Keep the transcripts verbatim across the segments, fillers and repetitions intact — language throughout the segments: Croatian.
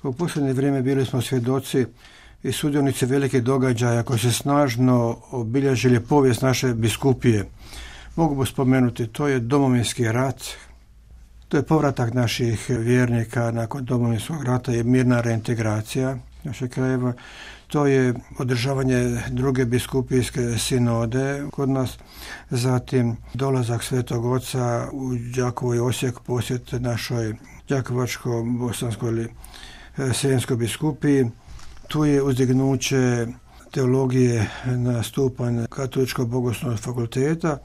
U posljednje vrijeme bili smo svjedoci i sudionici velikih događaja koji se snažno obilježili povijest naše biskupije. Mogu spomenuti, to je Domovinski rat, to je povratak naših vjernika nakon Domovinskog rata i mirna reintegracija našeg krajeva. To je održavanje druge biskupijske sinode kod nas, zatim dolazak Svetog Oca u Đakovo i Osijek, posjet našoj Đakovačko-bosanskoj ili Srijemskoj biskupiji. Tu je uzdignuće teologije na stupanj Katoličkog bogoslovnog fakulteta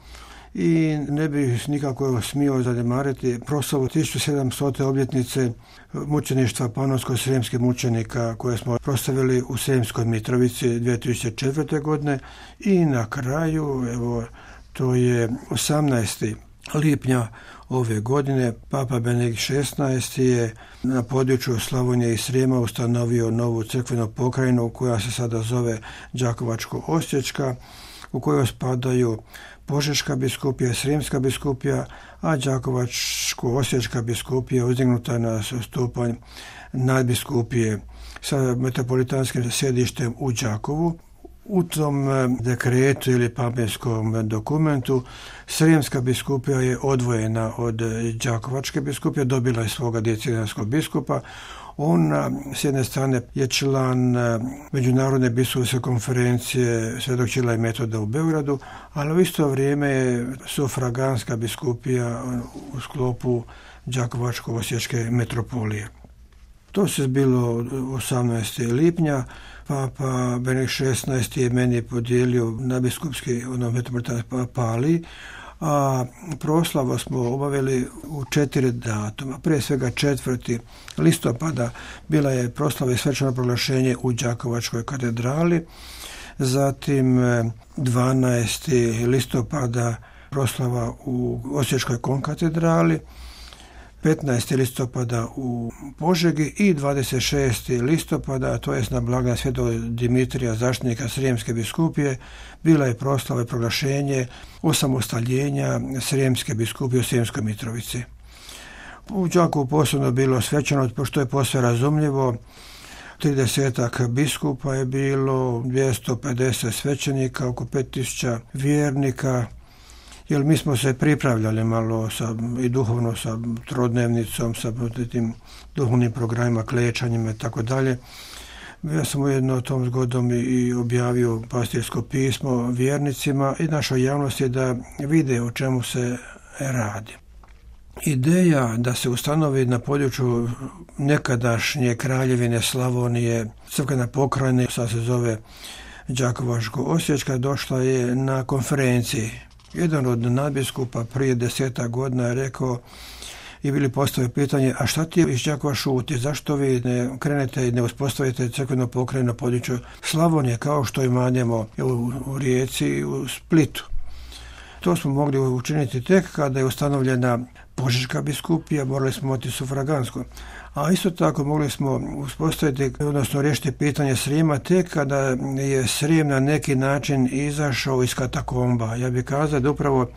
i ne bih nikako smio zanemariti proslavu tisuću sedamstote obljetnice mučeništva panonsko-srijemskih mučenika koje smo proslavili u Srijemskoj Mitrovici dvije tisuće četvrte. godine i na kraju, evo, to je osamnaestog lipnja ove godine, Papa Benedikt šesnaesti. je na području Slavonije i Srijema ustanovio novu crkvenu pokrajinu koja se sada zove Đakovačko-osječka, u kojoj spadaju Požeška biskupija i Srijemska biskupija, a Đakovačko-osječka biskupija uzdignuta na stupanj nadbiskupije sa metropolitanskim sjedištem u Đakovu. U tom dekretu ili papenskom dokumentu Srijemska biskupija je odvojena od Đakovačke biskupije, dobila je svoga dijecenijskog biskupa. Ona s jedne strane je član Međunarodne biskupske konferencije Svetog Ćirila i Metoda u Beogradu, ali u isto vrijeme je sufraganska biskupija u sklopu Đakovačko-osječke metropolije. To se zbilo osamnaestog lipnja. Papa Benedikt šesnaesti. je meni podijelio na biskupski ono metropolitanski pali, a proslavu smo obavili u četiri datuma. Prije svega četvrtog listopada bila je proslava i svečano proglašenje u Đakovačkoj katedrali, zatim dvanaestog listopada proslava u Osječkoj konkatedrali, petnaestog listopada u Požegi i dvadeset šestog listopada, to je na blagdan Svetog Dimitrija, zaštitnika Srijemske biskupije, bila je proslava i proglašenje osamostaljenja Srijemske biskupije u Srijemskoj Mitrovici. U Đakovu posebno bilo svečano, pošto je posve razumljivo, tridesetak biskupa je bilo, dvjesto pedeset svećenika, oko pet tisuća vjernika, jer mi smo se pripravljali malo sa, i duhovno sa trodnevnicom, sa tim duhovnim programima, klečanjima i tako dalje. Ja sam ujedno tom zgodom i objavio pastirsko pismo vjernicima i našoj javnosti da vide o čemu se radi. Ideja da se ustanovi na području nekadašnje kraljevine Slavonije crkvena pokrajina, sad se zove Đakovačko-osječka, došla je na konferenciji. Jedan od nadbiskupa prije deseta godina je rekao i bili postavio pitanje, a šta ti iz Đakova šuti, zašto vi ne krenete i ne uspostavite crkvenu pokrajinu na području Slavonije kao što imanjemo u, u Rijeci i u Splitu. To smo mogli učiniti tek kada je ustanovljena Požeška biskupija, morali smo imati sufragansku. A isto tako mogli smo uspostaviti, odnosno riješiti pitanje Srijema tek kada je Srijem na neki način izašao iz katakomba. Ja bih kazao da upravo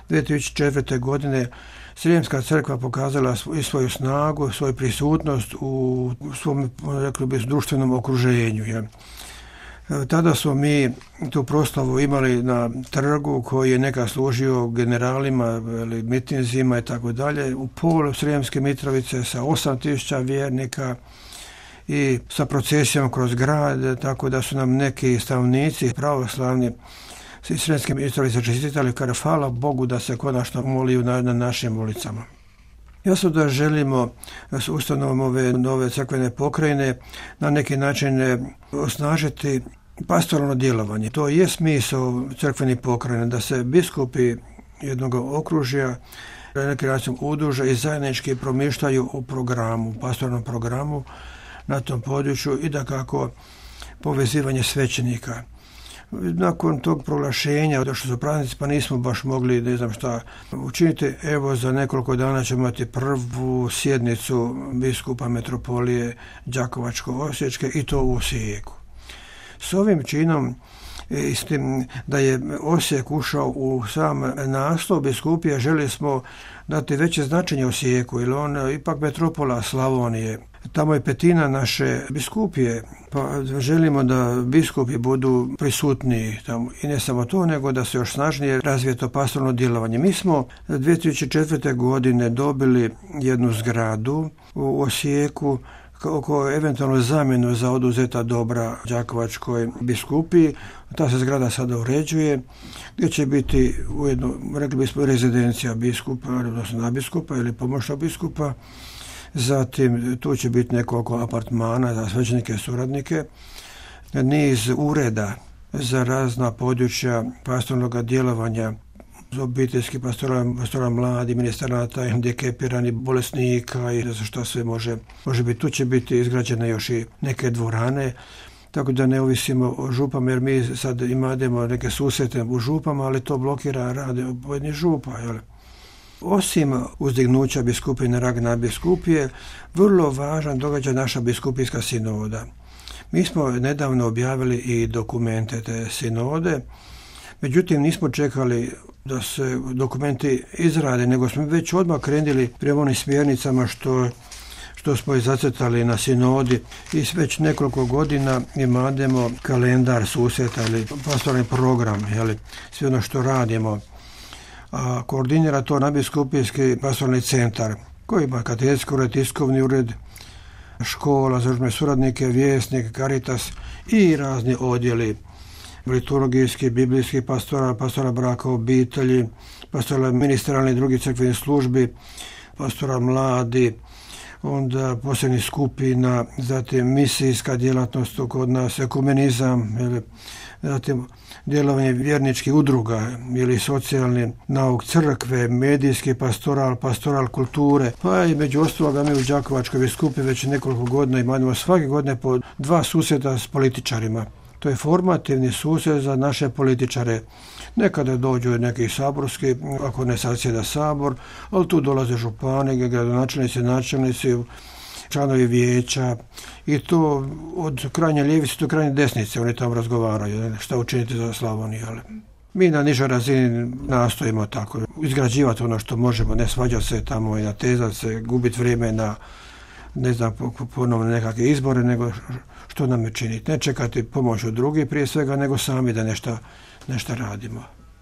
dvije tisuće četvrte. godine Srijemska crkva pokazala i svoju snagu, svoju prisutnost u svom, rekli bi, društvenom okruženju. Ja. Tada smo mi tu proslavu imali na trgu koji je nekad služio generalima, ili mitinzima i tako dalje, u polu Srijemske Mitrovice sa osam tisuća vjernika i sa procesijom kroz grad, tako da su nam neki stanovnici pravoslavni iz Srijemske Mitrovice čestitali, kada hvala Bogu da se konačno moliju na, na našim ulicama. Jasno da želimo s ustanovom ove nove crkvene pokrajine na neki način osnažiti pastoralno djelovanje. To je smisao crkvenih pokrajina, da se biskupi jednog okružja na neki način udruže i zajednički promišljaju o programu, pastoralnom programu na tom području i da kako povezivanje svećenika. Nakon tog proglašenja, došli su praznici, pa nismo baš mogli, ne znam šta, učiniti. Evo, za nekoliko dana ćemo imati prvu sjednicu biskupa metropolije Đakovačko-osječke i to u Osijeku. S ovim činom, i s tim da je Osijek ušao u sam naslov biskupije, želi smo dati veće značenje Osijeku, jer on ipak metropola Slavonije. Tamo je petina naše biskupije, pa želimo da biskupi budu prisutniji tamo. I ne samo to, nego da se još snažnije razvije to pastoralno djelovanje. Mi smo dvije tisuće četvrte. godine dobili jednu zgradu u Osijeku oko eventualno zamjenu za oduzeta dobra Đakovačkoj biskupiji. Ta se zgrada sada uređuje, gdje će biti ujedno, rekli bismo, rezidencija biskupa, odnosno nabiskupa ili pomoćnog biskupa. Zatim tu će biti nekoliko apartmana za svećenike i suradnike, niz ureda za razna područja pastornog djelovanja, obiteljski pastora, pastora mladi, ministranata, hendikepiranih, bolesnika i za što sve može, može biti. Tu će biti izgrađene još i neke dvorane, tako da ne ovisimo o župama, jer mi sad imamo neke susrete u župama, ali to blokira rade pojedinih župa, jel? Osim uzdignuća biskupije na rang nadbiskupije, vrlo važan događaj naša biskupijska sinoda. Mi smo nedavno objavili i dokumente te sinode, međutim nismo čekali da se dokumenti izrade, nego smo već odmah krenuli prema onim smjernicama što, što smo i zacrtali na sinodi i već nekoliko godina imamo kalendar susreta ili pastoralni program, jeli, sve ono što radimo. A koordinira to nadbiskupijski pastoralni centar koji ima katedetski ured, tiskovni ured, škola za užme suradnike, vjesnik, Caritas i razni odjeli liturgijski, biblijski pastora, pastora braka, obitelji, pastora ministralni i drugih crkvenih službi, pastora mladi, onda posebnih skupina, zatim misijska djelatnost kod nas, ekumenizam, ili, zatim djelovanje vjerničkih udruga ili socijalni nauk crkve, medijski pastoral, pastoral kulture, pa i među ostaloga mi u Đakovačkoj biskupiji već nekoliko godina imamo svake godine po dva susreta s političarima. To je formativni susret za naše političare. Nekada dođu neki saborski, ako ne sadsjeda sabor, ali tu dolaze župani, gradonačelnici, načelnici, članovi vijeća i to od krajnje ljevice do krajnje desnice oni tamo razgovaraju šta učiniti za Slavoniju. Mi na nižoj razini nastojimo tako izgrađivati ono što možemo, ne svađati se tamo i natezati se, gubiti vrijeme na ne znam, ponovno nekakve izbore, nego što nam je činiti. Ne čekati pomoć od drugih prije svega, nego sami da nešto, nešto radimo.